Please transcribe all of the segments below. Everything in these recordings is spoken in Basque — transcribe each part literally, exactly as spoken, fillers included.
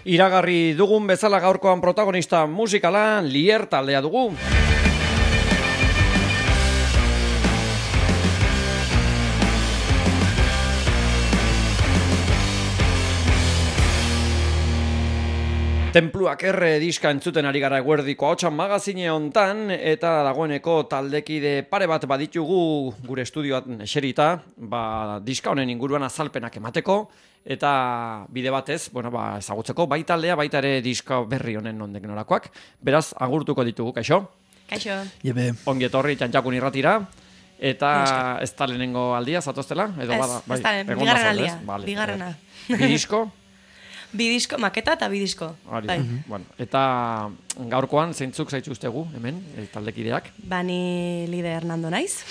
Iragarri dugun bezala gaurkoan protagonista musikala Lier taldea dugu. Tenpluak erre diska entzuten ari gara eguerdiko ahotsan magazine hontan, eta dagoeneko taldekide pare bat baditugu gure estudioan eserita, ba, diska honen inguruan azalpenak emateko, eta bide batez, bueno, ba, ezagutzeko bai taldea, baita ere diska berri honen nondik norakoak. Beraz, agurtuko ditugu, kaixo? Kaixo. Jebe. Ongi etorri Txantxakun irratira, eta ez da lehenengo aldia, zatoztela? Ez, ez da, bigarren aldia, bigarrena. Bi disko? Bi disko, maketa eta bi disko. Bai. Bueno, eta gaurkoan zeintzuk zaituztegu hemen, e, taldekideak? Bani Lide Hernando naiz.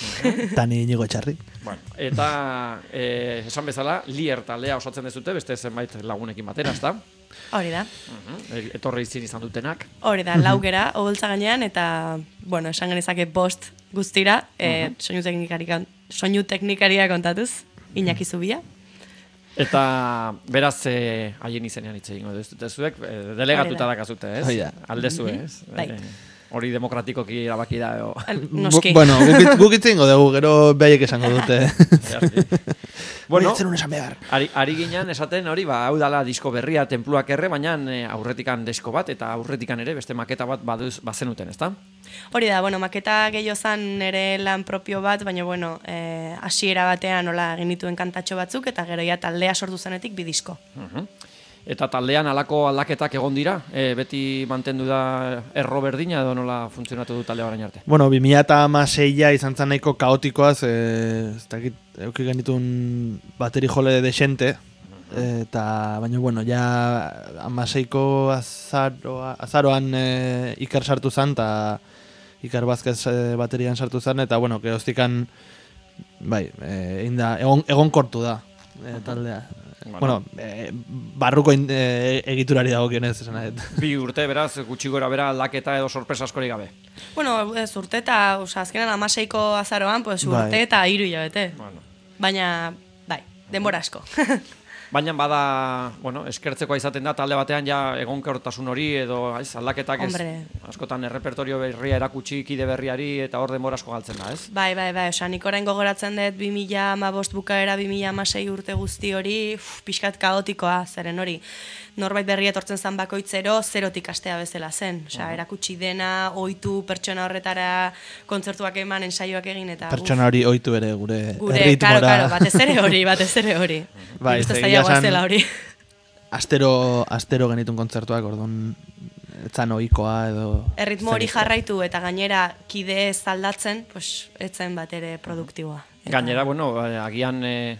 Tani Inigo Etxarri. Bueno, eta e, esan bezala, Lier taldea osatzen dezute, beste zenbait lagunekin batera, ezta? Hori da. Uh-huh. Etorri izin izan dutenak. Hori da, laugera, oholtza gainean, eta, bueno, esan genezake bost guztira, e, uh-huh. soinu teknikaria, soinu teknikaria kontatuz, Iñaki Zubia. Eta beraz haien eh, izenean hitz egingo duzuek, eh, delegatuta dakazute, ez? Oida. Aldezu, ez? Bai. Eh, hori demokratikoki erabaki da. O... Noski. Bu, bueno, guk hitz egingo dugu, gero behaiek esango dute. Bueno, behar. Ari, ari ginen esaten hori, ba, hau dala disko berria Tenpluak erre, baina eh, aurretikan disko bat, eta aurretikan ere beste maketa bat baduz, bazenuten, ezta? Hori da, bueno, maketa gehiago zan nire lan propio bat, baina, bueno, eh, hasiera batean nola egin dituen kantatxo batzuk, eta gero ja taldea sortu zenetik bi disko. Uh-huh. Eta taldean halako aldaketak egon dira? E, beti mantendu da erro berdina edo nola funtzionatu du taldea orain arte? Bueno, bi mila hamaseia izan zen nahiko kaotikoaz, eh, ez dakit, euki genitun bateri jole desente, eta baina, bueno, ja hamaseiko azaroa, azaroan eh, Iker sartu zen, eta Iker Vázquez eh, baterian sartu zen, eta, bueno, gehoztikan, bai, eh, inda, egon, egon kortu da eh, taldea. Bueno, bueno eh, barruko in, eh, egiturari dago kionez, esan nahet. Bi urte, beraz, gutxi gora bera aldaketa edo sorpresa askori gabe. Bueno, ez urte eta, oza, azkenan amaseiko azaroan, pues, urte bai. Eta hiru hilabete. Bueno. Baina, bai, denbora asko. Baina bada, bueno, eskertzekoa izaten da talde batean ja egonkortasun hori edo ez, aldaketak ez, askotan errepertorio berria erakutsi kide berriari eta hor denbora asko galtzen da, ez? Bai, bai, bai, oza, nik orain gogoratzen dut bi mila hamabost bukaera, bi mila hamasei urte guzti hori, uf, pixkat kaotikoa, zeren hori. Norbait berria etortzen zan bakoitzero, zerotik astea bezala zen. Osea, uh-huh. erakutsi dena, ohitu pertsona horretara kontzertuak eman, ensaioak egin eta... Pertsona hori ohitu ere gure, gure erritmora. Gure, karo, karo, batez ere hori, batez ere hori. Bai, zela hori. Astero, astero genitun kontzertuak, orduan, etzan ohikoa edo... Erritmo hori jarraitu eta gainera kide ez aldatzen, pues, etzen bat ere produktiboa. Eta... Gainera, bueno, agian eh,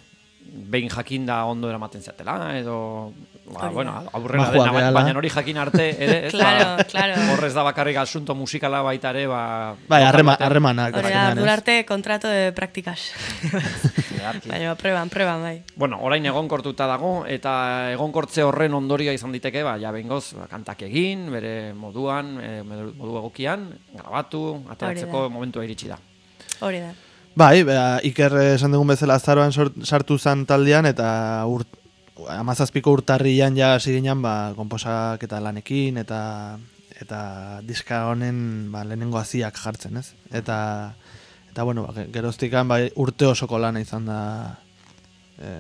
behin jakinda ondo eramaten zatela, edo... Ba, bueno, aurrera dena, baina hori jakin arte ere, ez claro, da, claro. Horrez da bakarrik asunto musikala baita ere, ba... Bai, harremanak. Horrela, durarte kontrato de praktikas. Baina, preban, preban, bai. Bueno, orain egonkortuta dago, eta egonkortze horren ondorioa izan diteke, ba, ja bengoz, ba, kantak egin, bere moduan, e, modu egokian, grabatu, ateratzeko momentua iritsi da. Hori da. Bai, ba, Iker esan dugun bezala azaroan sartu zan taldean, eta urt amazazpiko urtarrian ja hasi ginen ba, konposak eta lanekin eta eta diska honen ba, lehenengo haziak jartzen, ez? Eta, eta bueno, ba, geroztikan ba, urte osoko lana izan da e,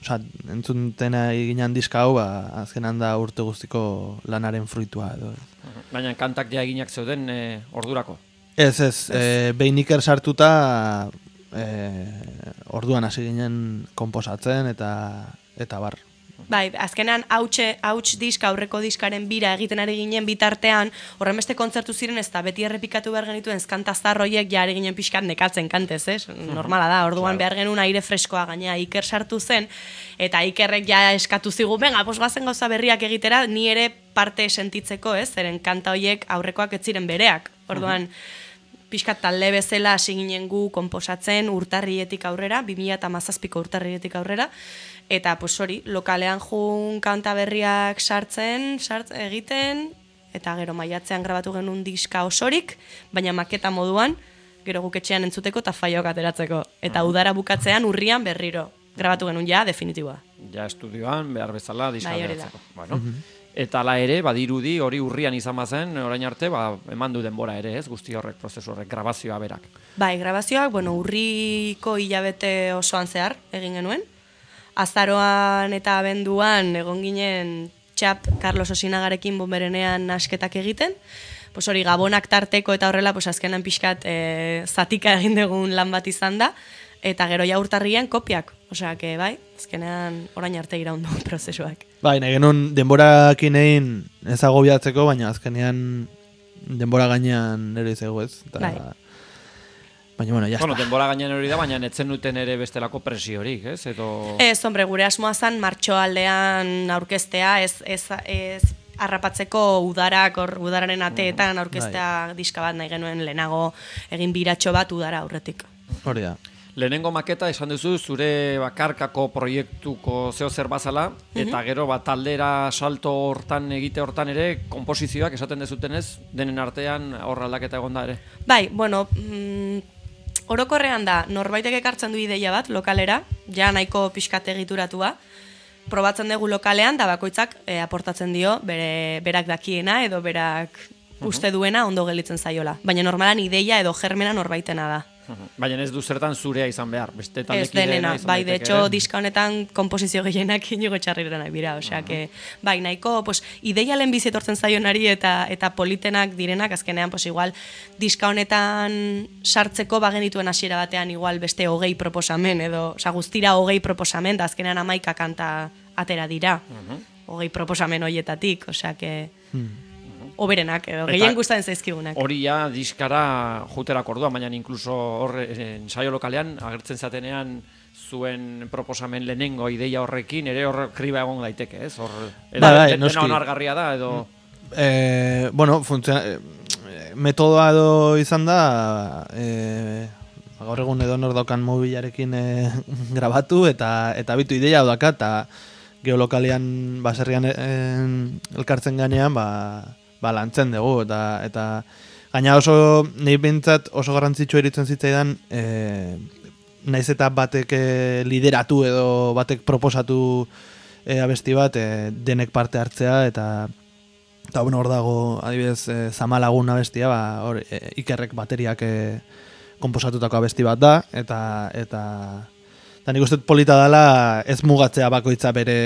oza, entzuntena ginen diska hau, ba, azkenan da urte guztiko lanaren fruitua edo. Baina kantak ja eginak zeuden e, ordurako? Ez, ez, e, behin Iker sartuta e, orduan hasi ginen konposatzen eta eta bar. Bai, azkenan hautxe, hauts diska, aurreko diskaren bira egiten ari ginen bitartean, horren beste kontzertu ziren ez da beti errepikatu behar genituen skantaztarroiek ja ari ginen pixkat nekatzen kantez, ez? Normala da, orduan behar genuen aire freskoa gaina Iker sartu zen, eta Ikerrek ja eskatu zigu, venga, pos bazen gauza berriak egitera, ni ere parte sentitzeko, ez? Zeren kanta hoiek aurrekoak ez ziren bereak, orduan... Pixkat talde bezala hasi ginen gu konposatzen urtarrietik aurrera, bi mila hamazazpiko urtarrietik aurrera, eta pues hori, lokalean jun kanta berriak sartzen, sart, egiten, eta gero maiatzean grabatu genuen diska osorik, baina maketa moduan, gero guketxean entzuteko eta faiok ateratzeko. Eta udara bukatzean urrian berriro grabatu genuen ja, definitiboa. Ja estudioan, behar bezala, diska bai, beratzeko. Bueno. Eta la ere, badirudi hori urrian izan bazen, orain arte, ba, eman du denbora ere, ez, guzti horrek, prozesu horrek, grabazioa berak. Bai, grabazioak, bueno, urriko hilabete osoan zehar egin genuen. Azaroan eta abenduan egon ginen txap Carlos Osinagarekin Bonberenean asketak egiten. Pues hori gabonak tarteko eta horrela, pues azkenan pixkat e, zatika egin dugun lan bat izan da. Eta gero ja urtarrian kopiak. Osea, que bai, azkenean orain arte iraundu prozesuak. Bai, nahi genuen denborakin egin ez agobiatzeko, baina azkenean denbora gainean ere izego ez. Eta... Bai. Baina, bueno, jazta. Bueno, denbora gainean hori da, baina netzen duten ere bestelako presiorik, ez? Edo... Ez, hombre, gure asmoa zan martxoaldean aurkeztea, ez, ez, ez harrapatzeko udarak, or, udararen ateetan aurkeztea diska bat nahi genuen lehenago egin biratxo bat udara aurretik. Hori da. Lehenengo maketa esan duzu zure bakarkako proiektuko zeo zer bazala, eta gero bat taldera salto hortan egite hortan ere, komposizioak esaten dezutenez, denen artean hor aldaketa egon da ere. Bai, bueno, mm, orokorrean da, norbaitek ekartzen du ideia bat lokalera, ja nahiko pixkat egituratua, probatzen dugu lokalean, da bakoitzak e, aportatzen dio, bere, berak dakiena edo berak uste duena ondo gelitzen zaiola. Baina normalan ideia edo germena norbaitena da. Baina ez du zertan zurea izan behar, beste Ez taldekideena denena, izan bai, de daiteke hecho, ere. diska honetan komposizio gehienak inigo txarrira nahi bira, osea, que, bai, nahiko, pues, ideia lehen bizi etortzen zaionari eta eta politenak direnak, azkenean, pues, igual, diska honetan sartzeko bagen dituen hasiera batean, igual, beste hogei proposamen, edo, osea, guztira hogei proposamen, da azkenean amaika kanta atera dira, hogei proposamen hoietatik, osea, que... Oberenak, edo, gehien gustatzen zaizkigunak. Hori ja diskara juterak orduan, baina inkluso hor ensaio lokalean agertzen zatenean zuen proposamen lehenengo ideia horrekin, ere hor kriba egon daiteke, ez? Hor, edo, Bai, bai, dena noski. onargarria da, edo... Eh, bueno, funtziona, eh, metodoa edo izan da, eh, gaur egun edo nor daukan mobilarekin eh, grabatu, eta eta bitu ideia daka, eta geolokalean baserrian eh, elkartzen ganean, ba, ba lantzen dugu, eta, eta gaina oso, nahi bintzat oso garrantzitsua iritzen zitzaidan, eh, naiz eta batek eh, lideratu edo batek proposatu eh, abesti bat, eh, denek parte hartzea, eta eta bueno, hor dago, adibidez, eh, Zamalagun abestia, ba, hor, eh, Ikerrek bateriak eh, komposatutako abesti bat da, eta eta eta nik uste dut polita dela ez mugatzea bakoitza bere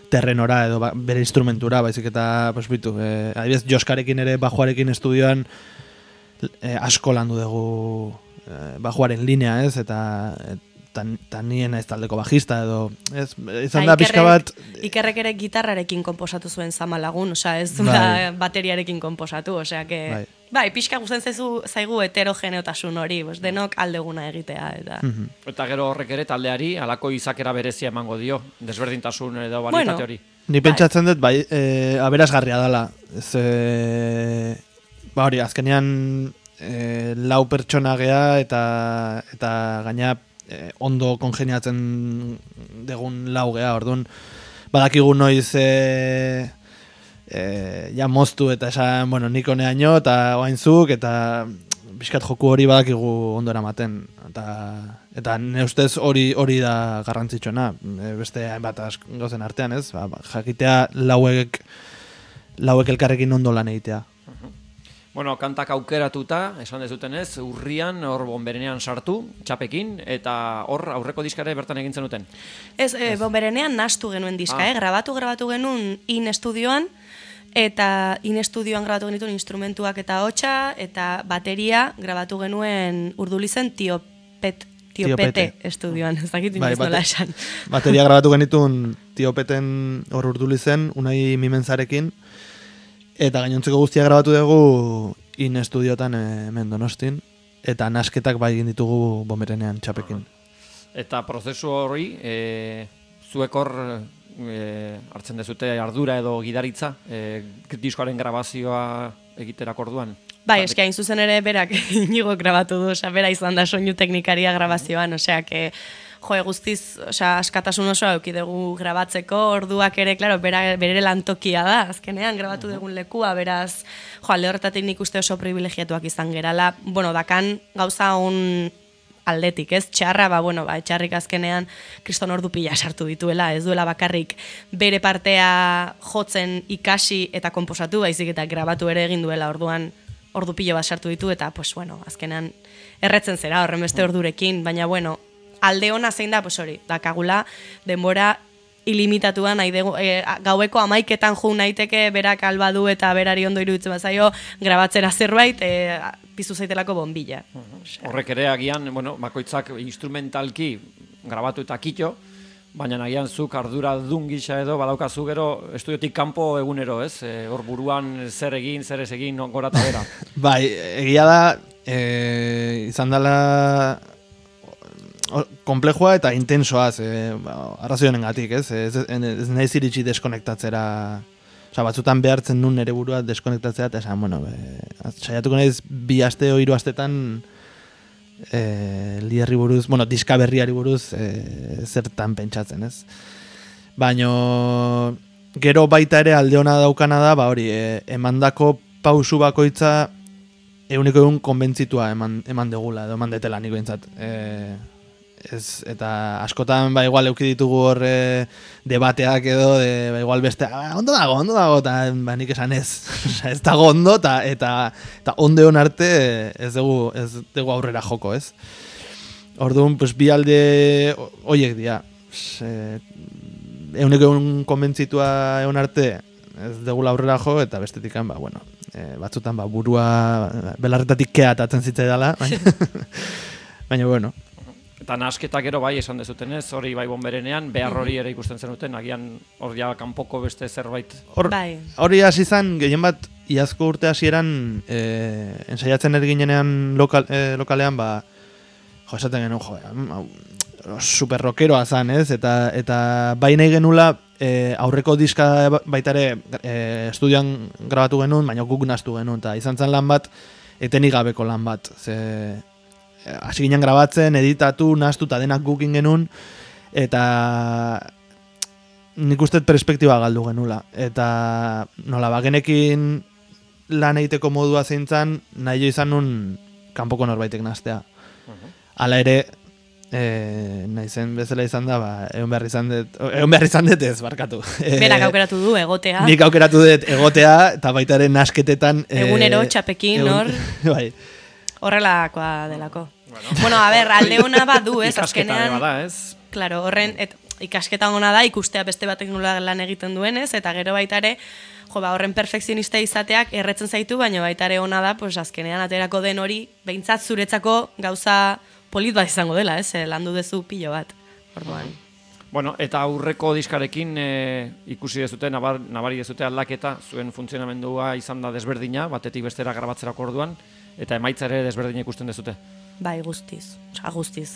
terrenora edo ba, bere instrumentura, baizik eta, pues bitu, eh, adibidez, Joskarekin ere bajuarekin estudioan eh, asko landu dugu eh, bajuaren linea, ez, eta eta nien ez taldeko bajista edo, ez, izan da pixka bat... Ikerrek ere gitarrarekin komposatu zuen Zamalagun, osea, ez Bai. da bateriarekin komposatu, osea, que... Bai. Bai, pixka gusten zaizu zaigu heterogeneotasun hori, bos, denok aldeguna egitea, eta... Eta gero horrek ere taldeari halako izakera berezia emango dio, desberdintasun edo balitate Bueno. hori. Ni pentsatzen dut, bai, e, aberasgarria dela. Ez, e, ba hori, azkenean e, lau pertsona gea eta, eta gaina e, ondo kongeniatzen degun lau gea, orduan, badakigu noiz e, e, ja moztu eta esan, bueno, nik honeaino eta oainzuk eta bizkat joku hori badakigu ondo eramaten. Eta, eta ne ustez hori hori da garrantzitsuena, e, beste hainbat asko gauzen artean, ez? Ba, ba, jakitea lauek lauek elkarrekin ondo lan egitea. Bueno, kantak aukeratuta, esan dezutenez, urrian hor Bonberenean sartu, txapekin, eta hor aurreko diskare bertan egin zenuten. Ez, e, Bonberenean nastu genuen diska, Ah. eh? Grabatu, grabatu genuen in estudioan, eta in estudioan grabatu genituen instrumentuak eta hotsa, eta bateria grabatu genuen Urdulizen tiopet, tiopete Tiopete. estudioan, ez dakit Bai, inoiz nola bate- esan. Bateria grabatu genitun tiopeten hor urdulizen, unai mimenzarekin, eta gainontzeko guztia grabatu dugu in estudiotan eh, hemen Donostin, eta nasketak bai egin ditugu Bonberenean txapekin. Eta prozesu hori, e, zuek hor e, hartzen dezute ardura edo gidaritza, e, diskoaren grabazioa egiterak orduan. Bai, eski hain zuzen ere berak inigo grabatu du, osea, bera izan da soinu teknikaria grabazioan, osea, que, jo, guztiz, osea, askatasun osoa eduki dugu grabatzeko, orduak ere, claro, bera, bere lantokia da, azkenean grabatu dugun lekua, beraz, jo, alde horretatik nik uste oso privilegiatuak izan gerala, bueno, dakan gauza on aldetik, ez? Txarra, ba, bueno, ba, txarrik azkenean kriston ordu pila sartu dituela, ez duela bakarrik bere partea jotzen ikasi eta konposatu, baizik eta grabatu ere egin duela, orduan ordu pilo bat sartu ditu, eta, pues, bueno, azkenean erretzen zera horren beste ordurekin, baina, bueno, alde ona zein da, pues hori, dakagula denbora ilimitatuan nahi dugu, e, gaueko amaiketan jo naiteke berak albadu eta berari ondo iruditzen bazaio grabatzera zerbait e, piztu zaitelako bombilla. Horrek ere agian, bueno, bakoitzak instrumentalki grabatu eta kito, baina agian zuk ardura dun gisa edo badaukazu gero estudiotik kanpo egunero, ez? E, hor buruan zer egin, zer ez egin, gora eta bera. Bai, egia da, e, izan dela komplejua eta intensoaz, e, ba, arrazoi honengatik, ez? Ez, ez, ez nahiz iritsi deskonektatzera, oza, batzutan behartzen nun nere burua deskonektatzera, eta esan, bueno, e, saiatuko nahiz bi aste o hiru astetan e, liderri buruz, bueno, diska berriari buruz e, zertan pentsatzen, ez? Baino, gero baita ere alde ona daukana da, ba hori, e, emandako pausu bakoitza eguneko egun konbentzitua eman, eman degula, edo eman detela niko entzat. E, Ez, eta askotan ba igual euki ditugu hor e, debateak edo de, ba, igual beste ah, ondo dago, ondo dago, eta ba, nik esan ez ez dago ondo eta, eta, eta onde hon arte ez dugu, ez dugu aurrera joko, ez? Orduan, pues, bi alde oiek dira, e, eguneko egun konbentzitua egon arte ez dugu aurrera jo, eta bestetikan, ba, bueno, e, batzutan ba, burua belarretatik kea atatzen zitzaidala, baina, baina bueno. Eta nasketa gero bai esan dezutenez, hori bai bonberenean, behar hori ere ikusten zenuten, agian hor ja kanpoko beste zerbait. Hor, bai. Hori hasi izan, gehien bat, iazko urte hasieran e, ensaiatzen erginenean lokal, e, lokalean, ba, jo, esaten genuen, jo, super rockeroa zan, ez? Eta, eta bai nahi genula, e, aurreko diska baita ere e, estudioan grabatu genuen, baina guk naztu genuen, eta izan zen lan bat, etenik gabeko lan bat, ze... hasi ginen grabatzen, editatu, nahastu eta denak gukin genuen, eta nik uste perspektiba galdu genula. Eta nola, bagenekin lan egiteko modua zeintzan, nahi jo izan nun kanpoko norbaitek nahaztea. Hala ere, e, nahi zen bezala izan da, ba, egon behar izan dut, egon behar izan dut ez, barkatu. Berak aukeratu du, egotea. Nik aukeratu dut egotea, eta baita ere nasketetan... Egunero, txapekin, hor. Bai. Horrelakoa delako. Bueno, bueno, a ber, alde hona bat du, ez? Ikasketa azkenean, bada, ez? Claro, horren, et, ikasketa ona da, ikustea beste batek nola lan egiten duenez, eta gero baita ere, jo, ba, horren perfekzionista izateak erretzen zaitu, baina baita ere ona da, pues, azkenean aterako den hori, behintzat zuretzako gauza polit bat izango dela, ez? Landu dezu pilo bat, orduan. Bueno, eta aurreko diskarekin e, ikusi dezute, nabar, nabari dezute aldaketa, zuen funtzionamendua izan da desberdina, batetik bestera grabatzerako orduan, eta emaitza ere desberdina ikusten dezute. Bai, guztiz, oza, guztiz.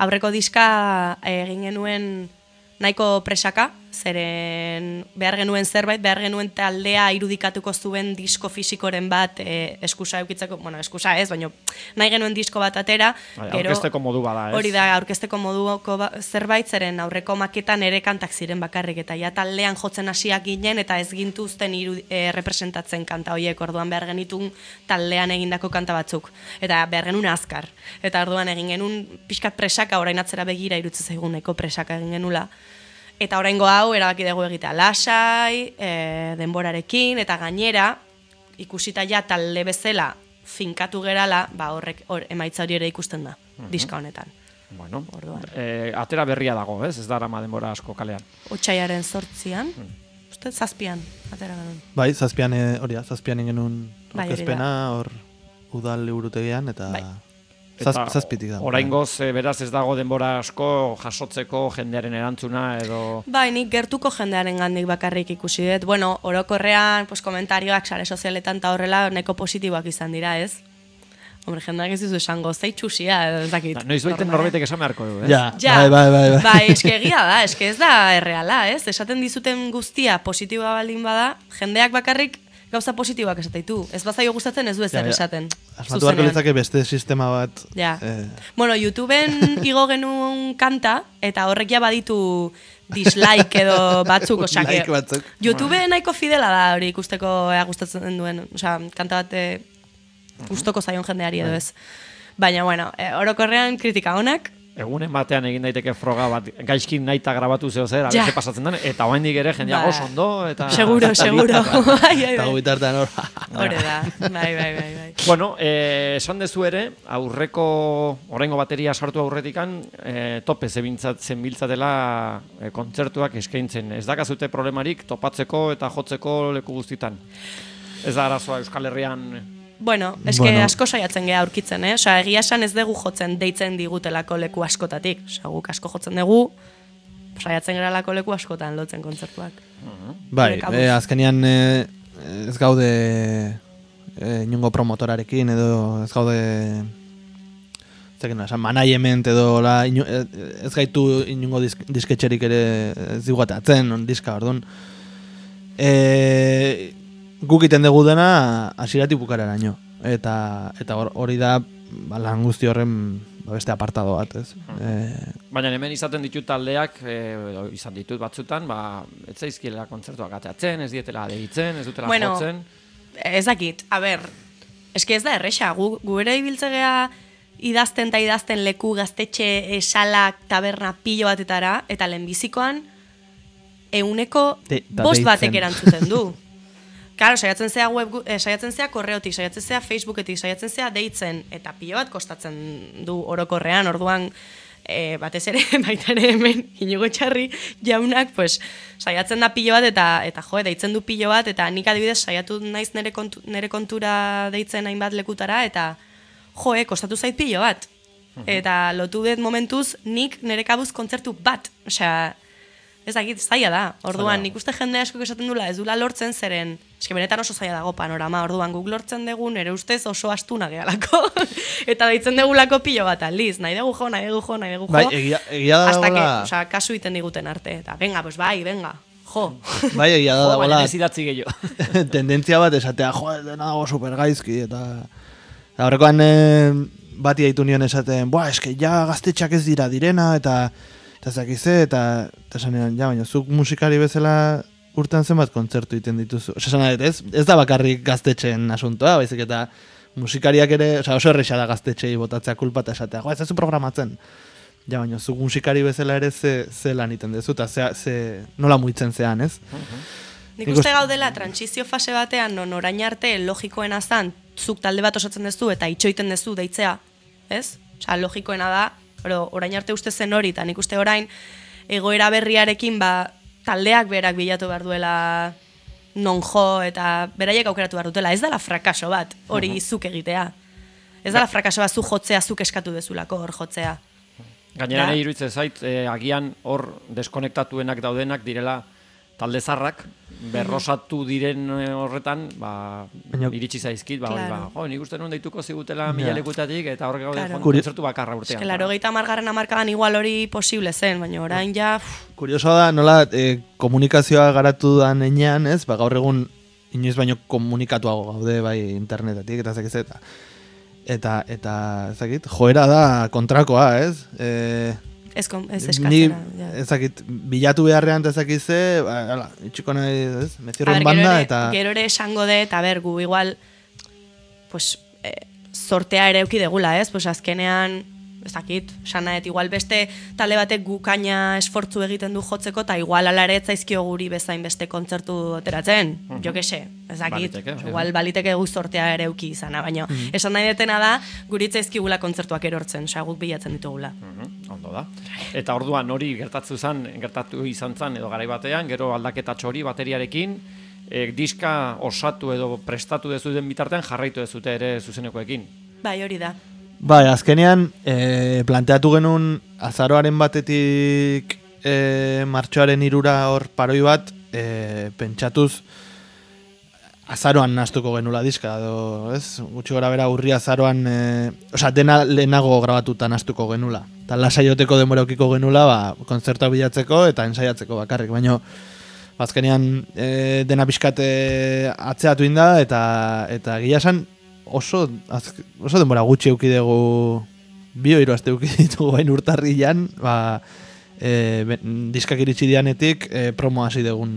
Aurreko diska egin genuen nahiko presaka, zeren behar genuen zerbait, behar genuen taldea irudikatuko zuen disko fisikoren bat e, eskusa eukitzeko, bueno, eskusa ez, baina nahi genuen disko bat atera. Bai, aurkezteko modu bada, ez? Hori da, aurkezteko moduko ba, zerbait, zeren aurreko maketan ere kantak ziren bakarrik, eta ja taldean jotzen hasiak ginen, eta ez gintuzten iru, e, representatzen kanta horiek, orduan behar genitun taldean egindako kanta batzuk, eta behar genuen azkar. Eta orduan egin genuen pixkat presaka, orain atzera begira irutze zaiguneko presaka egin genula. Eta oraingo hau erabaki dugu egitea lasai, e, denborarekin, eta gainera, ikusita ja talde bezala finkatu gerala, ba horrek or, emaitza hori ere ikusten da, uh-huh. diska honetan. Bueno, e, atera berria dago, ez? Ez da arama denbora asko kalean. Otsaiaren zortzian, hmm. uste zazpian, atera genuen. Bai, zazpian, hori da, zazpian genuen bai, orkezpena, hor udal liburutegian, eta... Bai. Eta zazpitik da. Oraingoz, e, beraz ez dago denbora asko jasotzeko jendearen erantzuna edo... Bai, nik gertuko jendearen gandik bakarrik ikusi dut. Bueno, orokorrean, pues, komentarioak sare sozialetan eta horrela neko positiboak izan dira, ez? Hombre, jendeak ez dizu esango, zei txusia, ez dakit. Noiz baiten norbaitek esan beharko du, ez? Ja, ja. bai, bai, bai. Bai, bai eske egia da, eske ez da erreala, ez? Esaten dizuten guztia positiboa baldin bada, jendeak bakarrik gauza positiboak esateitu. Ez bazaio gustatzen ez du ezer ja, ja. esaten. Asmatu beharko litzake beste sistema bat. Ja. Eh. Bueno, YouTubeen igo genuen kanta, eta horrek ja baditu dislike edo batzuk, osea, like batzuk. YouTube nahiko fidela da hori ikusteko ea gustatzen duen, osea, kanta bat gustoko zaion jendeari edo ez. Baina, bueno, e, orokorrean kritika onak. Egunen batean egin daiteke froga bat, gaizkin naita grabatu zeo zer, Ja. abeze pasatzen den, eta oraindik ere jendea Ba. oso ondo, eta... Seguro, seguro. Bai, bai, Eta bai. bitartean hor. Hore da, bai, bai, bai, bai. Bueno, eh, esan dezu ere, aurreko, oraingo bateria sartu aurretikan, eh, tope zenbiltzatela eh, kontzertuak eskaintzen. Ez dakazute problemarik topatzeko eta jotzeko leku guztitan. Ez da arazoa Euskal Herrian... Bueno, eske Bueno. asko saiatzen geha aurkitzen, eh? Osea, egia esan ez dugu jotzen deitzen digutelako leku askotatik. Osea, guk asko jotzen dugu, saiatzen geralako leku askotan lotzen kontzertuak. Bai, Gure kabuz. e, azkenean e, ez gaude e, inungo promotorarekin edo ez gaude zekin, esan, management edo la, inu, e, ez gaitu inungo disk, disketxerik ere ez diguatatzen, on diska, orduan. E, guk iten dugu dena hasieratik bukararaino. Eta eta hor- hori da ba, lan guzti horren ba, beste apartado bat, ez? E, Baina hemen izaten ditut taldeak, eh, edo izan ditut batzutan, ba, ez zaizkiela kontzertuak ateatzen, ez dietela deitzen, ez dutela Bueno, jotzen. Ez dakit, a ber, eske ez da erresa, gu, gu ere ibiltzegea idazten eta idazten leku gaztetxe esalak taberna pilo batetara, eta lehenbizikoan euneko De- da bost deitzen. batek erantzuten du. Claro, saiatzen zea web, eh, saiatzen zea korreotik, saiatzen zea Facebooketik, saiatzen zea deitzen, eta pilo bat kostatzen du orokorrean, orduan e, batez ere, baita ere hemen, Inigo Etxarri jaunak, pues, saiatzen da pilo bat, eta, eta jo, deitzen du pilo bat, eta nik adibidez saiatu naiz nere, kontu, nere kontura deitzen hainbat lekutara, eta jo, eh, kostatu zait pilo bat. Eta lotu dut momentuz, nik nere kabuz kontzertu bat, osea, ez dakit, zaila da. Orduan, Zaila. nik uste jende asko esaten dula, ez dula lortzen zeren, eske benetan oso zaila dago panorama, orduan guk lortzen dugu, nere ustez oso astuna gehalako. Eta deitzen degulako pilo bat aldiz, nahi dugu jo, nahi dugu jo, nahi dugu jo. bai, egia, egia da hasta que, dagoela, osea, kasu iten diguten arte. Eta, venga, pues bai, venga, jo. bai, egia da Jo, baina dagoela ez idatzi gehiago. tendentzia bat esatea, jo, dena dago supergaizki, eta... eta horrekoan e, bati haitu nion esaten, buah, eske ja gaztetxak ez dira direna, eta eta zakize, eta eta esanean, ja, baina zuk musikari bezala urtean zenbat kontzertu egiten dituzu. Osa, esan nahi, ez, ez da bakarrik gaztetxeen asuntoa, baizik eta musikariak ere, osea, oso erresa da gaztetxei botatzea kulpa eta esatea, jo, ez zu programatzen. Ja, baina zuk musikari bezala ere ze, ze lan egiten duzu, eta ze, ze, nola muitzen zean, ez? Nik Nik uste uste- gaudela transizio fase batean, non orain arte logikoena zan, zuk talde bat osatzen duzu eta itxoiten duzu deitzea, ez? Osea, logikoena da, pero orain arte uste zen hori, eta nik uste orain egoera berriarekin, ba, taldeak berak bilatu behar duela non jo, eta beraiek aukeratu behar dutela. Ez dela frakaso bat, hori zuk egitea. Ez dela frakaso bat zu jotzea, zuk eskatu dezulako hor jotzea. Gainera Da. nahi iruditzen zait, eh, agian hor deskonektatuenak daudenak direla talde zarrak, berrosatu diren eh, horretan, ba, Baina- iritsi zaizkit, ba, hori, Claro. ba, jo, nik uste nuen deituko zigutela mila Ja. lekutatik, eta hor gaude Claro. jo, Kuri- kontzertu bakarra urtean. Eske, laro gehieta margarren amarkadan igual hori posible zen, baina orain ja... uf, Kuriosoa da, nola e, komunikazioa garatu da nenean, ez? Ba, gaur egun inoiz baino komunikatuago gaude bai internetatik eta zakiz eta eta eta ezakit, joera da kontrakoa, ez? E, Ez, kon- ez ni eskatzera. ja. ezakit bilatu beharrean eta ezakize, ba, hala, itxiko nahi, ez? A Mezierren ber, banda gero ere, eta gero ere esango de, eta ber, gu igual, pues, eh, sortea ere euki degula, ez? Pues azkenean, ez dakit, esan nahet, igual beste talde batek gukaina esfortzu egiten du jotzeko, eta igual alare ez zaizkio guri bezain beste kontzertu ateratzen, jo que se, ez dakit, Baliteke, bai. igual baliteke gu sortea ere euki izana, baina esan nahi detena da, guritza zaizkigula kontzertuak erortzen, osea, guk bilatzen ditugula. Mhm, ondo da. Eta orduan hori gertatu zan, gertatu izan zan edo garai batean, gero aldaketatxo hori bateriarekin, e, diska osatu edo prestatu dezu den bitartean jarraitu dezute ere zuzenekoekin. Bai, hori da. bai, azkenean e, planteatu genuen azaroaren batetik e, martxoaren irura hor paroi bat e, pentsatuz azaroan nastuko genula diska, edo, ez? Gutxi gora bera urri azaroan, e, osea, dena lehenago grabatuta nastuko genula. Eta lasaioteko denbora ukiko genula, ba, kontzertua bilatzeko eta ensaiatzeko bakarrik, baino azkenean e, dena pixkat e, atzeatu inda, eta, eta gila esan oso, az, oso denbora gutxi euki dugu, bi hiru aste euki ditugu bain urtarrilan, ba, e, ben, diskak iritsi dianetik e, promo hasi dugun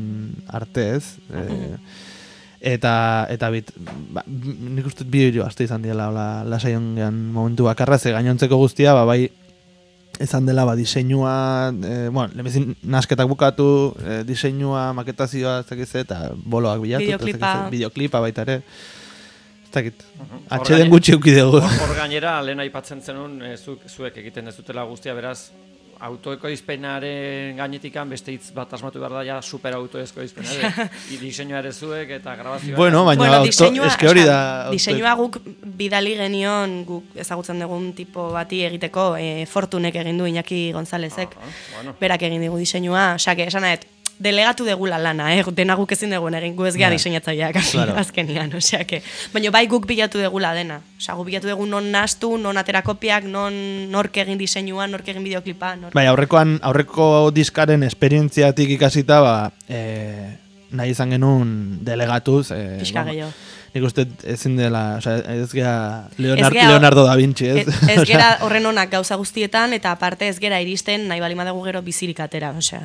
arte, ez? E, eta eta bit, ba, nik uste bi hiru aste izan diela hola lasaion gean momentu bakarra, ze gainontzeko guztia ba bai izan dela ba diseinua, eh, bueno, lemezin nasketak bukatu, eh, diseinua, maketazioa, ez dakiz eta boloak bilatu, Bideoklipa. bideoklipa baita ere. Ez dakit. Hor Atxeden gaine- gutxi euki dugu. Hor hor gainera, lehen aipatzen zenun, e, zuk, zuek egiten ez dutela guztia, beraz, autoekoizpenaren gainetikan beste hitz bat asmatu behar da, ja super autoekoizpena ere. I diseinua ere zuek eta grabazioa. Bueno, baina Bueno, auto, diseinua, eske hori da... osea, diseinua guk bidali genion, guk ezagutzen dugun tipo bati egiteko, e, Fortunek egin du Iñaki Gonzalezek, Aha, bueno. berak egin digu diseinua, osea, que esan nahet, delegatu degula lana, eh? Dena guk ezin dugun egin, gu ez gea Ja. diseinatzaileak Claro. azkenian, osea, que, baina bai guk bilatu degula dena, osea, guk bilatu dugu non nastu, non atera kopiak, non nork egin diseinua, nork egin bideoklipa, nork... Bai, aurrekoan, aurreko diskaren esperientziatik ikasita, ba, e, nahi izan genuen delegatuz. E, Pixka gehiago. Nik uste ezin dela, osea, ez gea Leonardo, Ez gea- Leonardo da Vinci, ez? Ez, ez Osea, gera horren onak gauza guztietan, eta aparte ez gera iristen nahi bali madagu gero bizirik atera, osea...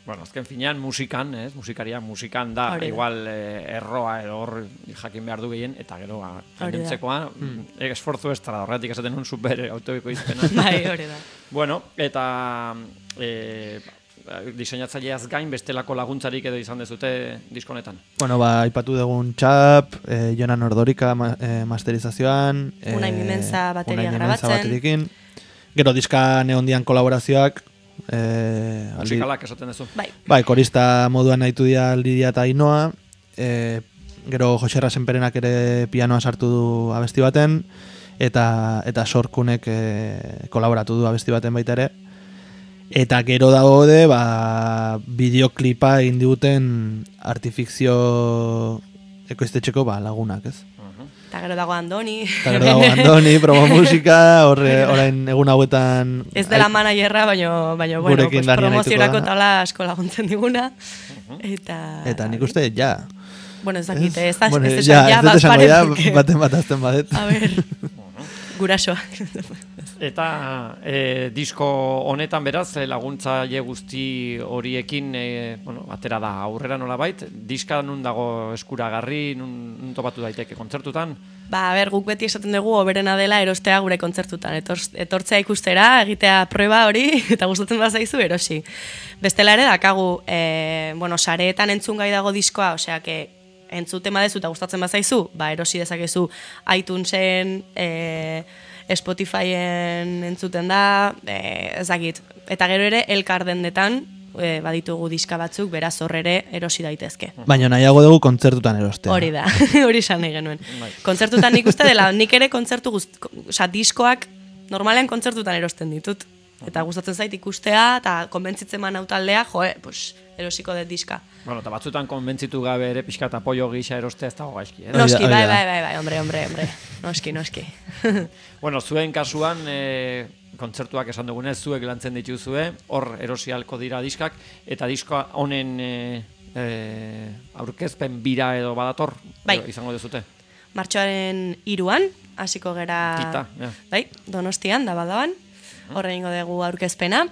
Bueno, azken finean musikan, ez? Musikaria musikan da, Hori da. igual eh, erroa edo hor jakin behar du gehien, eta gero ba, Hori da. gainontzekoa, mm. esfortzu ez da, horretik esaten nun super autoekoizpena. Bai, hori da. Bueno, eta e, diseinatzaileaz gain bestelako laguntzarik edo izan dezute diskonetan. Bueno, ba, aipatu dugun Txap, e, Jonan Ordorika ma, e, masterizazioan, e, Unai Mimenza bateria Unai Mimenza grabatzen. baterikin. Gero diska neondian kolaborazioak, e, aldi, Musikalak esaten duzu. Bai, bai, korista moduan nahitu dira Lidia eta Ainoa, e, gero Jose Rasenperenak ere pianoa sartu du abesti baten, eta eta Sorkunek e, kolaboratu du abesti baten baita ere. Eta gero daude, ba, bideoklipa egin diguten artifikzio ekoiztetxeko ba, lagunak, ez? eta gero dago Andoni. Eta gero dago Andoni, promo musika, horre, orain egun hauetan... Ez dela managerra, baina, baina bueno, Gurekin pues, Dani promoziorako arituko da. tala asko laguntzen diguna. Eta... Eta nik uste, ja. Bueno, ez dakit, ez da, Bueno, ez ja, esan, ja, ez dut bat esango pare, ja, porque- baten bat azten badet. A ver, gurasoa. Eta e, disko honetan beraz, e, laguntzaile guzti horiekin e, bueno, atera da aurrera nolabait, diska nun dago eskuragarri, nun, nun topatu daiteke kontzertutan? Ba, a ber, guk beti esaten dugu hoberena dela erostea gure kontzertutan. Etor, etortzea ikustera, egitea proba hori, eta gustatzen bazaizu erosi. Bestela ere dakagu, e, bueno, sareetan entzun gai dago diskoa, osea, que entzuten badezu eta gustatzen bazaizu, ba, erosi dezakezu iTunesen, e, Spotifyen entzuten da, e, ez dakit. Eta gero ere, elkar dendetan, e, baditugu diska batzuk, beraz hor ere erosi daitezke. Baina nahiago dugu kontzertutan erostea. Hori da, hori esan nahi genuen. Bai. Kontzertutan nik uste dela, nik ere kontzertu guzt, oza, diskoak normalean kontzertutan erosten ditut. Eta gustatzen zait ikustea, eta konbentzitzen man taldea, joe, pues, erosiko dut diska. Bueno, eta batzutan konbentzitu gabe ere pixka eta apoio gisa erostea ez dago gaizki. Eh? Hori da, Noski, hori bai, da. bai, bai, bai, hombre, hombre, hombre. Noski, noski. Bueno, zuen kasuan, e, kontzertuak esan dugunez, zuek lantzen dituzue, hor erosi ahalko dira diskak, eta diskoa honen e, e, aurkezpen bira edo badator, Bai. edo izango dezute. Martxoaren hiruan, hasiko gera... Kita, ja. Bai, Donostian, da badaban. Horre ingo dugu aurkezpena.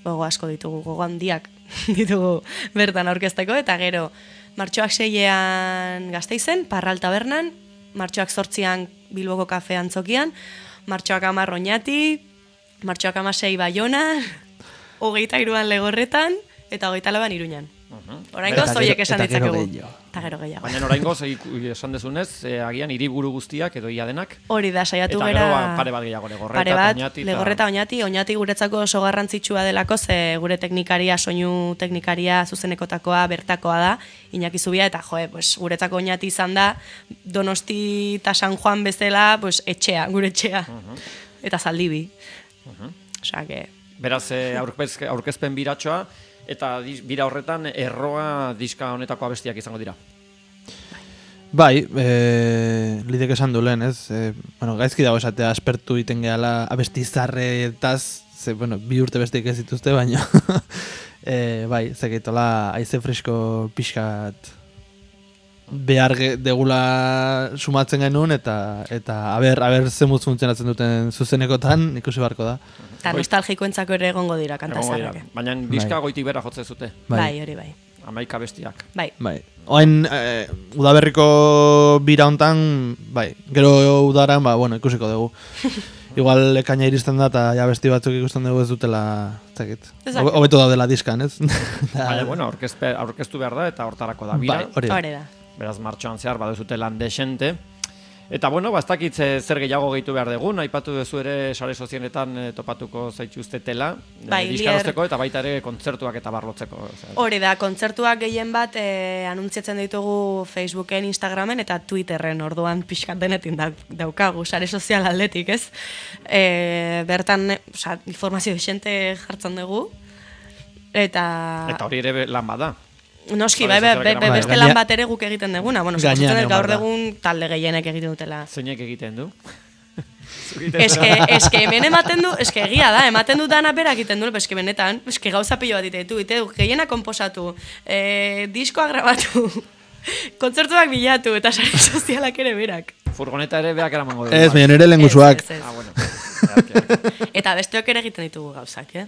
Gogo asko ditugu, gogo handiak ditugu bertan aurkezteko. Eta gero, martxoak seian Gasteizen, Parral Tabernan, martxoak zortzian Bilboko kafe antzokian, martxoak hamar Oñati, martxoak hamasei Baionan, hogeita hiruan Legorretan, eta hogeita lauan Iruñan. Oraingo Eta gero- zoiek esan eta gero ditzakegu. gehiago. Eta gero gehiago. Baina oraingo esan dezunez, e, agian hiriburu guztiak edo ia denak, Hori da, saiatu eta gera... gero ba, pare bat gehiago, Legorreta, Pare bat, Oñati, eta- Legorreta, Oñati, Oñati guretzako oso garrantzitsua delako, ze gure teknikaria, soinu teknikaria zuzenekotakoa, bertakoa da, Iñaki Zubia, eta joe, pues, guretzako Oñati izan da, Donosti eta San Juan bezala, pues, etxea, gure etxea, eta Zaldibi. Osea, que... Beraz, e, aurkez, aurkezpen biratxoa, eta dis, bira horretan erroa diska honetako abestiak izango dira. Bai, e, lidek esan du lehen, ez? E, bueno, gaizki dago esatea aspertu iten gehala abesti zarretaz, ze, bueno, bi urte besteik ez dituzte, baina e, bai, zekeitola aize fresko pixkat behar ge- degula sumatzen genuen, eta eta aber, aber zemuz funtzionatzen duten zuzenekotan, ikusi beharko da. Eta nostalgikoentzako ere egongo dira kanta Egongo dira. zarrak. Baina diska Bai. goitik bera jotzen zute. Bai, hori bai. hamaika bestiak. Bai. Bai. Oain, eh, udaberriko bira hontan, bai, gero udaran, ba, bueno, ikusiko dugu. Igual ekaina iristen da, eta ja besti batzuk ikusten dugu ez dutela, ez dakit. Hobeto daudela diskan, ez? Baina, bueno, aurkezpe, aurkeztu behar da, eta hortarako da bira. Bai, hori da. Hore da. Beraz, martxoan zehar baduzute lan desente. Eta, bueno, ba, ez dakit ze- zer gehiago gehitu behar dugun, aipatu duzu ere sare sozialetan eh, topatuko zaituztetela, Bai, eh, diskarozteko eta baita ere kontzertuak eta barlotzeko. osea. Hori da, kontzertuak gehien bat e, anuntziatzen ditugu Facebooken, Instagramen eta Twitterren, orduan pixkat denetin da, daukagu, sare sozial aldetik, ez? E, bertan, e, oza, informazio desente jartzen dugu, eta... Eta hori ere be- lan bada. Noski, Sare bai, bai, sozialak bai, eraman beste da. lan bat ere guk egiten deguna. Bueno, Gainean suposatzen dut egon gaur behar da. egun talde gehienek egiten dutela. Zeinek egiten du? Eske, eske hemen ematen du, eske egia da, ematen du dana berak egiten du, eske benetan, eske gauza pilo bat ditu, ite du, gehiena konposatu, e, diskoa grabatu, kontzertuak bilatu, eta sare sozialak ere berak. Furgoneta ere beak eramango du. Ez, baina nire lengusuak. Ez, ez, ez. Ah, bueno. Beak, beak. Eta besteok ere egiten ditugu gauzak, eh?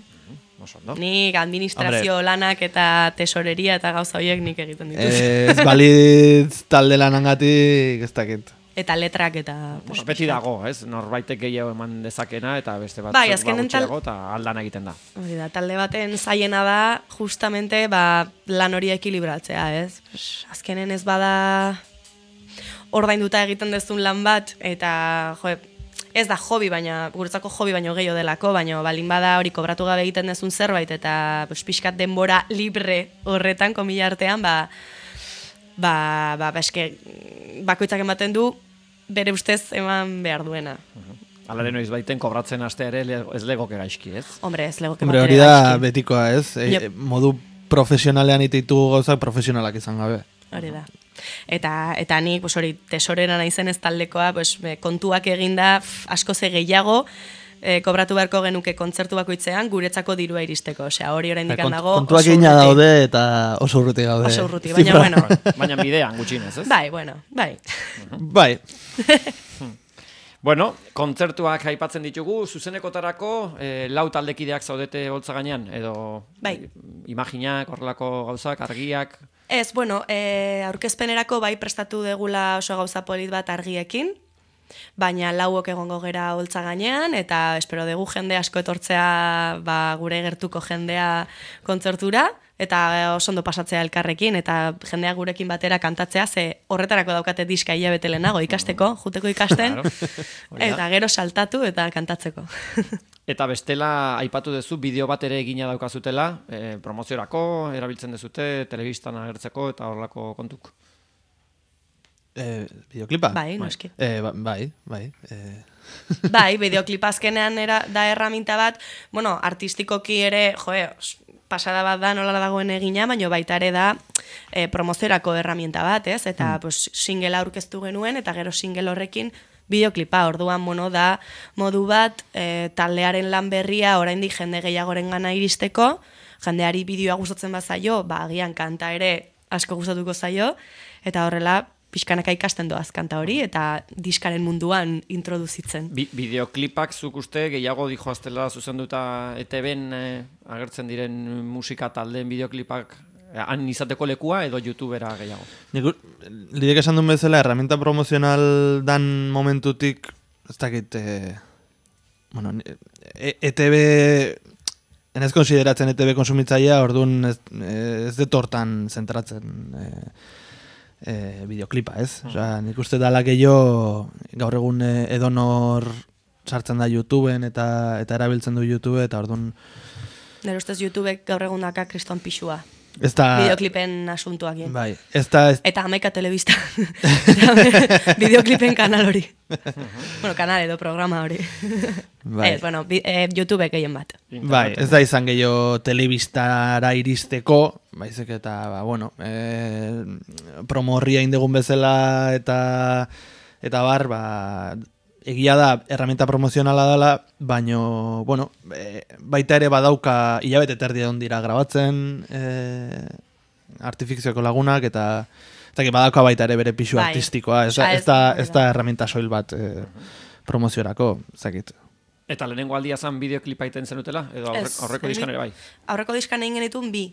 Oso ondo. Nik administrazio lanak eta tesoreria eta gauza horiek nik egiten ditut. Ez balitz talde lanangatik, ez dakit. Eta letrak eta... Bueno, beti dago, ez? Norbaitek gehiago eman dezakena eta beste bat Bai, azkenen tal- gutxiago eta aldan egiten da. Hori da, talde baten zaiena da, justamente, ba, lan hori ekilibratzea, ez? Azkenen ez bada ordainduta egiten dezun lan bat, eta, jo, ez da hobi, baina, guretzako hobi baino gehiago delako, baina balin bada hori kobratu gabe egiten dezun zerbait, eta pues, pixkat denbora libre horretan, komila artean, ba, ba, ba, ba, eske, bakoitzak ematen du, bere ustez eman behar duena. Alare noiz baiten kobratzen hastea ere le- ez legoke gaizki, ez? Hombre, ez legoke Hombre, bat hori ere da gaizki. betikoa, ez? E, Yep. modu profesionalean ititu gauzak profesionalak izan gabe. Hori da. Eta, eta nik, pues hori, tesorera naizen ez taldekoa, pues, be, kontuak eginda pf, asko ze gehiago, e, kobratu beharko genuke kontzertu bakoitzean guretzako dirua iristeko. Osea, hori oraindik Kont- dago Kontuak oso egina urruti. daude eta oso urruti gaude. Oso urruti, baina Zifra. bueno. Baina bidean gutxinez, ez? Bai, bueno, bai. Bai, Bueno, kontzertuak aipatzen ditugu, zuzenekotarako eh, lau taldekideak zaudete holtza gainean, edo Bai. imaginak, horrelako gauzak, argiak... Ez, bueno, e, aurkezpenerako bai prestatu degula oso gauza polit bat argiekin, baina lauok egongo gera holtza gainean, eta espero dugu jende asko etortzea ba, gure gertuko jendea kontzertura, eta oso ondo pasatzea elkarrekin, eta jendea gurekin batera kantatzea, ze horretarako daukate diska hilabete lehenago ikasteko, juteko ikasten, Claro. Hori da. eta gero saltatu eta kantatzeko. Eta bestela aipatu duzu bideo bat ere egina daukazutela, eh, promoziorako, erabiltzen dezute, telebistan agertzeko eta horrelako kontuk. e, videoklipa? Bai, noski. E, ba, bai, bai. E, Bai, bideoklip azkenean era, da erraminta bat, bueno, artistikoki ere, joe, os- pasada bat da nola dagoen egina, baina baita ere da e, promoziorako erraminta bat, ez? Eta Hmm. pues, singela aurkeztu genuen, eta gero single horrekin bideoklipa, orduan mono da modu bat e, taldearen lan berria oraindik jende gehiagoren gana iristeko, jendeari bideoa gustatzen bazaio, ba, agian kanta ere asko gustatuko zaio, eta horrela pixkanaka ikasten doaz kanta hori, eta diskaren munduan introduzitzen. Bi bideoklipak zuk uste gehiago dijoaztela zuzenduta E T B-en eh, agertzen diren musika taldeen bideoklipak eh, han izateko lekua edo YouTubera gehiago. nik, u- lidek esan duen bezala, herramienta promozional dan momentutik, ez dakit, e, bueno, ni- e, ETB, enez konsideratzen E T B konsumitzailea, orduan ez, ez dut hortan zentratzen e, e, bideoklipa, ez? Osea, nik uste dala gehiago gaur egun e, edonor sartzen da YouTubeen eta eta erabiltzen du YouTube, eta orduan Nire ustez YouTubek gaur egun daka kriston pixua. ez da... Bideoklipen asuntuak. eh. Bai, ez da... Ez, Eta Hamaika Telebista. Bideoklipen kanal hori. Bueno, kanal edo programa hori. Bai. Ez, bueno, bi, eh, YouTubek gehien bat. Bai, ez da izan gehiago telebistara iristeko, baizik eta, ba, bueno, e, promo horria indegun bezala eta eta bar, ba, egia da herramienta promozionala dela, baino, bueno, e, baita ere badauka hilabete terdi egon dira grabatzen e, artifikzioko lagunak, eta eta que badauka baita ere bere pisu Bai. artistikoa, ez, da- Osea, ez, da, ez- ez da herramienta soil bat e, promoziorako, zakit. Eta lehenengo aldia zan bideoklipa iten zenutela? Edo aurre, Ez, aurreko nik- diskan ere bai? Aurreko diskan egin genituen bi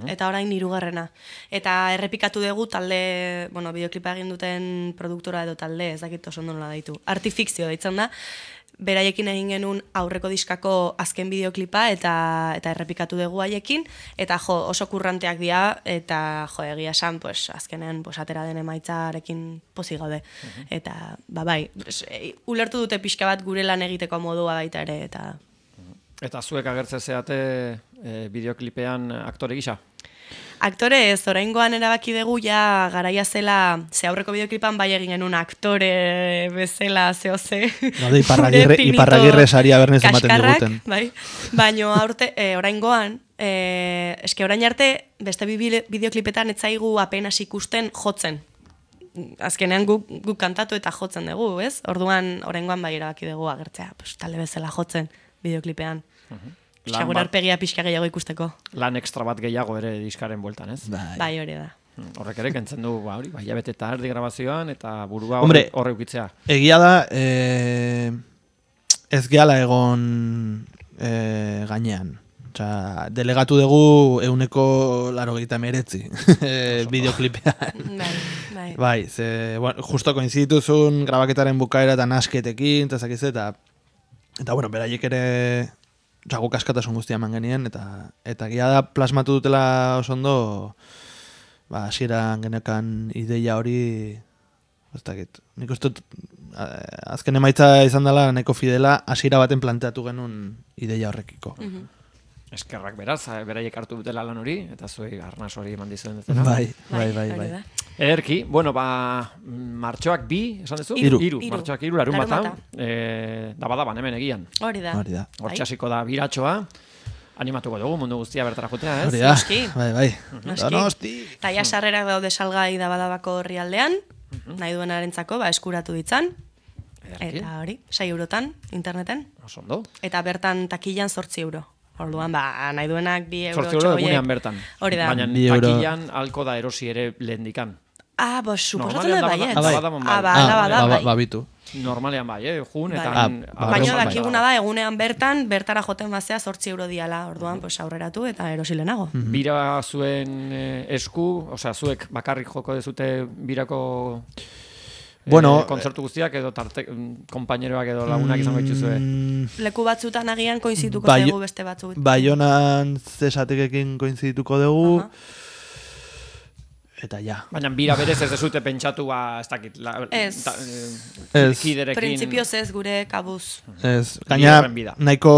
Eta orain hirugarrena. Eta errepikatu dugu talde, bueno, bideoklipa egin duten produktora edo talde, ez dakit oso ondo nola daitu. Artifikzio deitzen da. Beraiekin egin genuen aurreko diskako azken bideoklipa eta eta errepikatu dugu haiekin, eta jo, oso kurranteak dira, eta jo, egia esan, pues, azkenean pues, atera den emaitzarekin pozik gaude. Uh-huh. Eta, ba bai, pues, e, ulertu dute pixka bat gure lan egiteko modua baita ere, eta... Eta zuek agertze zeate e, bideoklipean aktore gisa? Aktore ez, oraingoan erabaki dugu ja garaia zela, ze aurreko bideoklipan bai egin genuen aktore bezala zeo ze. Gaude, iparragirre, iparragirre saria bernez ematen diguten. Bai, baino aurte, e, oraingoan, e, eske orain arte, beste bideoklipetan ez zaigu apenas ikusten jotzen. Azkenean guk, guk kantatu eta jotzen dugu, ez? Orduan, oraingoan bai erabaki dugu agertzea, pues, talde bezala jotzen bideoklipean. Uh-huh. Pixka arpegia pixka gehiago ikusteko. Lan ekstra bat gehiago ere diskaren bueltan, ez? Bai, bai hori da. Horrek ere kentzen du, ba, hori, bai, jabete eta erdi grabazioan, eta burua horre, horre ukitzea. Egia da, e, ez gehala egon e, gainean. Osea, delegatu dugu euneko laro gehieta meretzi bideoklipean. Bai, bai. Bai, ze, bueno, justo koinzituzun grabaketaren bukaera eta nasketekin, eta zakiz, eta, eta, bueno, beraiek ere... Osa, guk askatasun guztia eman genien, eta eta gira da plasmatu dutela oso ondo, ba, hasieran genekan ideia hori, ez dakit, nik uste dut, azken emaitza izan dela nahiko fidela, hasiera baten planteatu genuen ideia horrekiko. Mm-hmm. Eskerrak beraz, beraiek hartu dutela lan hori, eta zuei arnaz hori eman dizuen dutela. Bai, bai, bai, bai. Ederki, bueno, ba, martxoak bi, esan duzu? Iru. Iru, martxoak iru, larun bata. E, daba-daban hemen egian. Hori da. Hortxasiko da biratxoa. Animatuko dugu mundu guztia bertara jutea, ez? Hori da, bai, bai. Noski. Eta ja sarrerak daude salgai daba-dabako herri aldean, nahi duenarentzako, ba, eskuratu ditzan. Eta hori, sei eurotan, interneten. Oso ondo. Eta bertan takillan zortzi euro. Orduan, ba, nahi duenak bi euro txogoiek. Zortzi euro egunean bertan. Hori da. Baina takillan alko da erosi ere lehendikan. Ah, bos, suposatzen dut baiet. Ah, bai. Ah, ba, da, bai. Babitu. Normalean bai, eh, jun, eta... Baina dakiguna da, egunean bertan, bertara joten bazea zortzi euro diala, orduan, pues, aurreratu eta erosi lehenago. Bira zuen esku, osea, zuek bakarrik joko dezute birako... Bueno, eh, kontzertu guztiak edo tarte, konpaineroak edo lagunak izango dituzue. Leku batzutan agian koinzituko bai, dugu beste batzuk. Baionan zesatekekin koinzituko dugu. Eta ja. Baina bira berez ez dezute pentsatu, ba, ez dakit. La, ez. Ta, eh, ez. Printzipioz ez gure kabuz. Ez. Gaina nahiko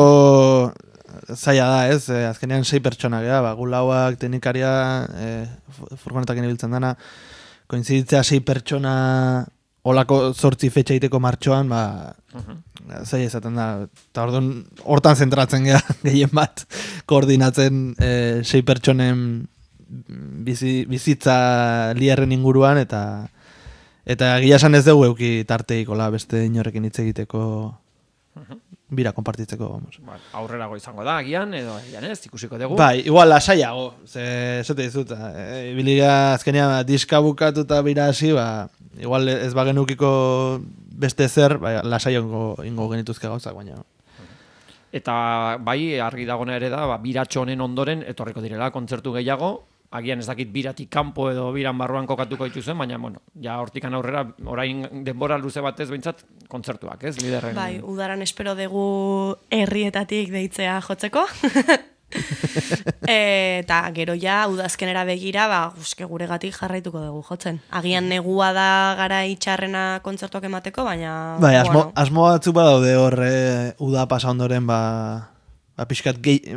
zaila da, ez. Azkenean sei pertsonak, ja, ba, gulauak, teknikaria, eh, furgonetakin ibiltzen dana. Koinziditzea sei pertsona... Olako zortzi fetxa iteko martxoan, ba, uh-huh. zai ezaten da, eta orduan hortan zentratzen geha, gehien bat, koordinatzen e, sei pertsonen bizi, bizitza liarren inguruan, eta eta gila esan ez dugu euki tarteikola beste inorekin hitz egiteko uh-huh. bira konpartitzeko. Vamos. Ba, aurrerago izango da, agian, edo agian ez, ikusiko dugu. Bai, igual lasaiago, ze, zete dizut, e, biliga azkenean diska bukatu eta bira hasi, ba, igual ez bagenukiko beste zer, bai, lasaiago ingo genituzke gauzak, baina. Eta bai, argi dagona ere da, ba, biratxo honen ondoren, etorriko direla kontzertu gehiago, agian ez dakit biratik kanpo edo biran barruan kokatuko dituzen, baina, bueno, ja hortikan aurrera, orain denbora luze batez behintzat, kontzertuak, ez, liderren? Bai, udaran espero dugu herrietatik deitzea jotzeko. Eta gero ja, udazkenera begira, ba, uske guregatik jarraituko dugu jotzen. Agian negua da gara itxarrena kontzertuak emateko, baina... Bai, asmo, bueno. asmo batzuk badaude horre, uda pasa ondoren, ba... Ba, pixkat gehi,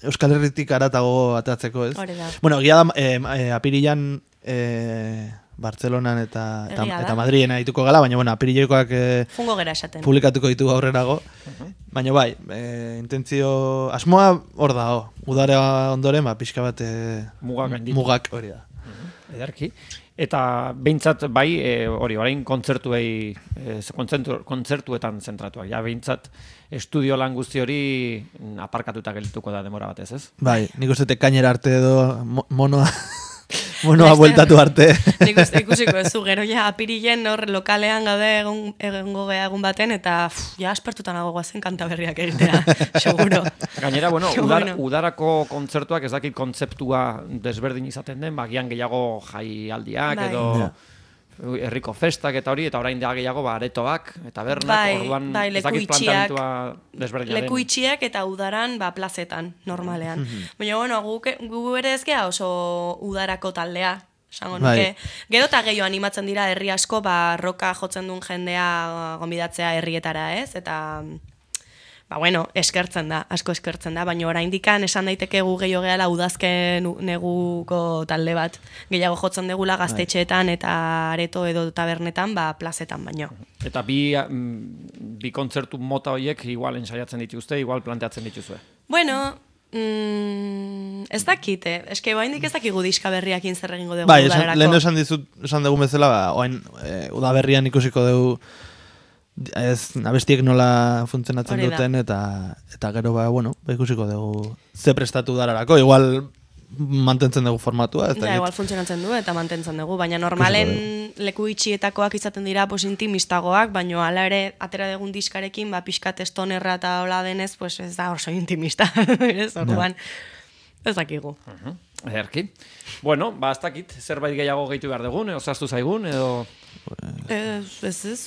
Euskal Herritik aratago atatzeko, ez? Hori da. Bueno, gira da, eh, eh, apirilan eh, Bartzelonan eta, eta, eta Madrien dituko gala, baina, bueno, apirilekoak eh, Fungo gera esaten. Publikatuko ditugu aurrerago. Uh-huh. Baina, bai, eh, intentzio... Asmoa hor da, ho. Udare ondoren, ba, pixka bat... Eh, mugak handitu. Mugak, hori da. Uh-huh. Edarki. Eta behintzat, bai, hori, e, orain kontzertuei, e, kontzertu, kontzertuetan zentratuak. Ja, behintzat, estudio lan guzti hori aparkatuta geldituko da demora batez, ez? Bai, nik uste kainera arte edo monoa Bueno, ha bueltatu arte. Nik uste ikusiko ez zu, gero ja apirilen hor lokalean gaude egon, egongo gea egun baten, eta pff, ja aspertutan nago guazen kanta berriak egitea, seguro. Gainera, bueno, Seguro. udar, udarako kontzertuak ez dakit kontzeptua desberdin izaten den, bagian gehiago jaialdiak Bai. edo Ja. herriko festak eta hori, eta orain da gehiago ba, aretoak eta bernak, Bai, orduan bai, ez leku dakit itxiak, planteamentua desberdina den. leku itxiak eta udaran ba, plazetan, normalean. Baina, bueno, gu, gu ere ez gea oso udarako taldea, esango Bai. nuke. Gero eta gehiago animatzen dira herri asko, ba, roka jotzen duen jendea gonbidatzea herrietara, ez? Eta, ba, bueno, eskertzen da, asko eskertzen da, baina oraindikan esan daiteke gu gehiago gehala udazken neguko talde bat. Gehiago jotzen degula gaztetxeetan eta areto edo tabernetan, ba, plazetan baino. Eta bi, mm, bi kontzertu mota horiek igual ensaiatzen dituzte, igual planteatzen dituzue. Bueno, mm, ez dakite, eske oraindik ez dakigu diska berriakin zer egingo dugu Bai, esan, udararako. lehen esan dizut, esan dugu bezala, ba, oain, e, udaberrian ikusiko dugu ez abestiek nola funtzionatzen Hori da. duten, eta eta gero, ba, bueno, ba, ikusiko dugu ze prestatu udararako, igual mantentzen dugu formatua, ez Ja, dakit. igual funtzionatzen du eta mantentzen dugu, baina normalen leku itxietakoak izaten dira pues intimistagoak, baina hala ere atera dugun diskarekin, ba pixkat estonerra eta hola denez, pues ez da oso intimista, ez orduan. Ez dakigu. Ederki. Bueno, ba, ez dakit, zerbait gehiago gehitu behar dugun, edo zaztu zaigun, edo... Ez, ez, ez.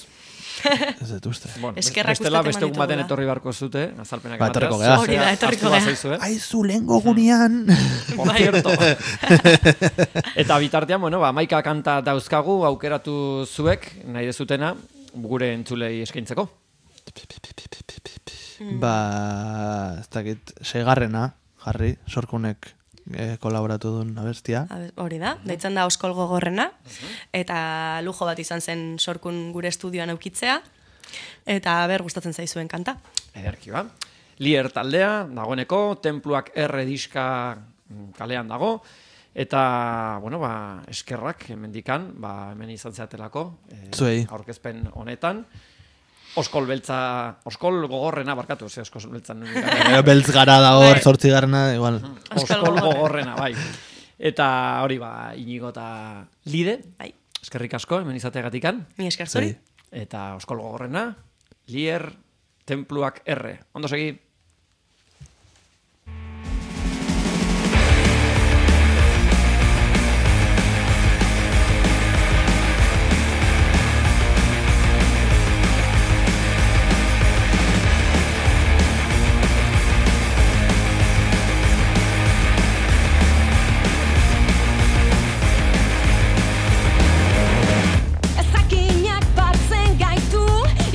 Ez dut uste. Bueno, Eskerrak bestela uste beste egun baten emanitugula. etorri barko zute, azalpenak Ba, etorriko emateaz. gea. Hori da, etorriko Ahaztu gea. bazaizue. Aizu, lehengo gunean! Por cierto. Eta bitartean, bueno, ba, maika kanta dauzkagu, aukeratu zuek, nahi dezutena, gure entzulei eskaintzeko. Ba, ez dakit, seigarrena, jarri, sorkunek e, kolaboratu duen abestia. Abe- Hori da, deitzen da Oskol Gogorrena, eta lujo bat izan zen sorkun gure estudioan aukitzea, eta ber gustatzen zaizuen kanta. Ederki ba. Lier taldea, dagoeneko, Tenpluak erre diska kalean dago, eta, bueno, ba, eskerrak hemendikan, ba, hemen izan zeatelako, eh, Zuei. aurkezpen honetan. Oskol beltza, Oskol Gogorrena, barkatu, ze Oskol beltzan nuen. E, beltz gara da hor, Bai. zortzigarrena, igual. Oskol Oskol Gogorrena. Gogorrena, bai. Eta hori ba, Inigo eta Lide, Bai, eskerrik asko, hemen izateagatikan. mi esker zuri. Zuei. Eta Oskol Gogorrena, Lier, Tenpluak erre. Ondo segi. Ezakinak batzen gaitu,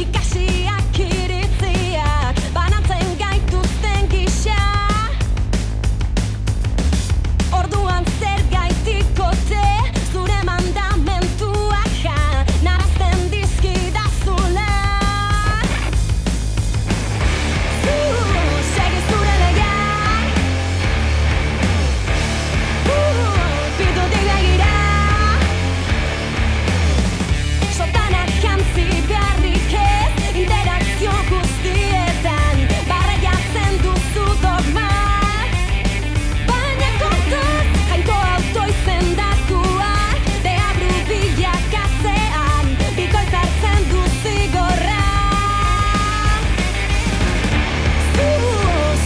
ikasiak iritziak, banatzen gaituzten gisa. Orduan zer gaitikote, zure mandamentuak ja, narazten dizkidazula. Zu, segi zure legeak, uh, pitutik begira. Sotanak jantzi beharrik ez, interakzio guztietan, barreiatzen duzu dogmak. Baina kontuz, jainko auto izendatuak, deabru bilakatzean, bikoitz hartzen du zigorra. Zu,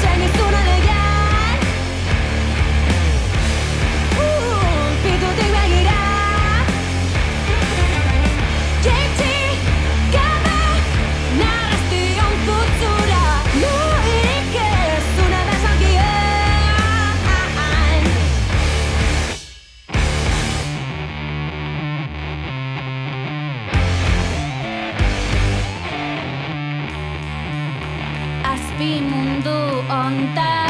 segi zure legeak, uh, pitutik begira. Jaitsi gabe, narraztion putzura, luirik ez zure bezalkia. Azpi mundu ontan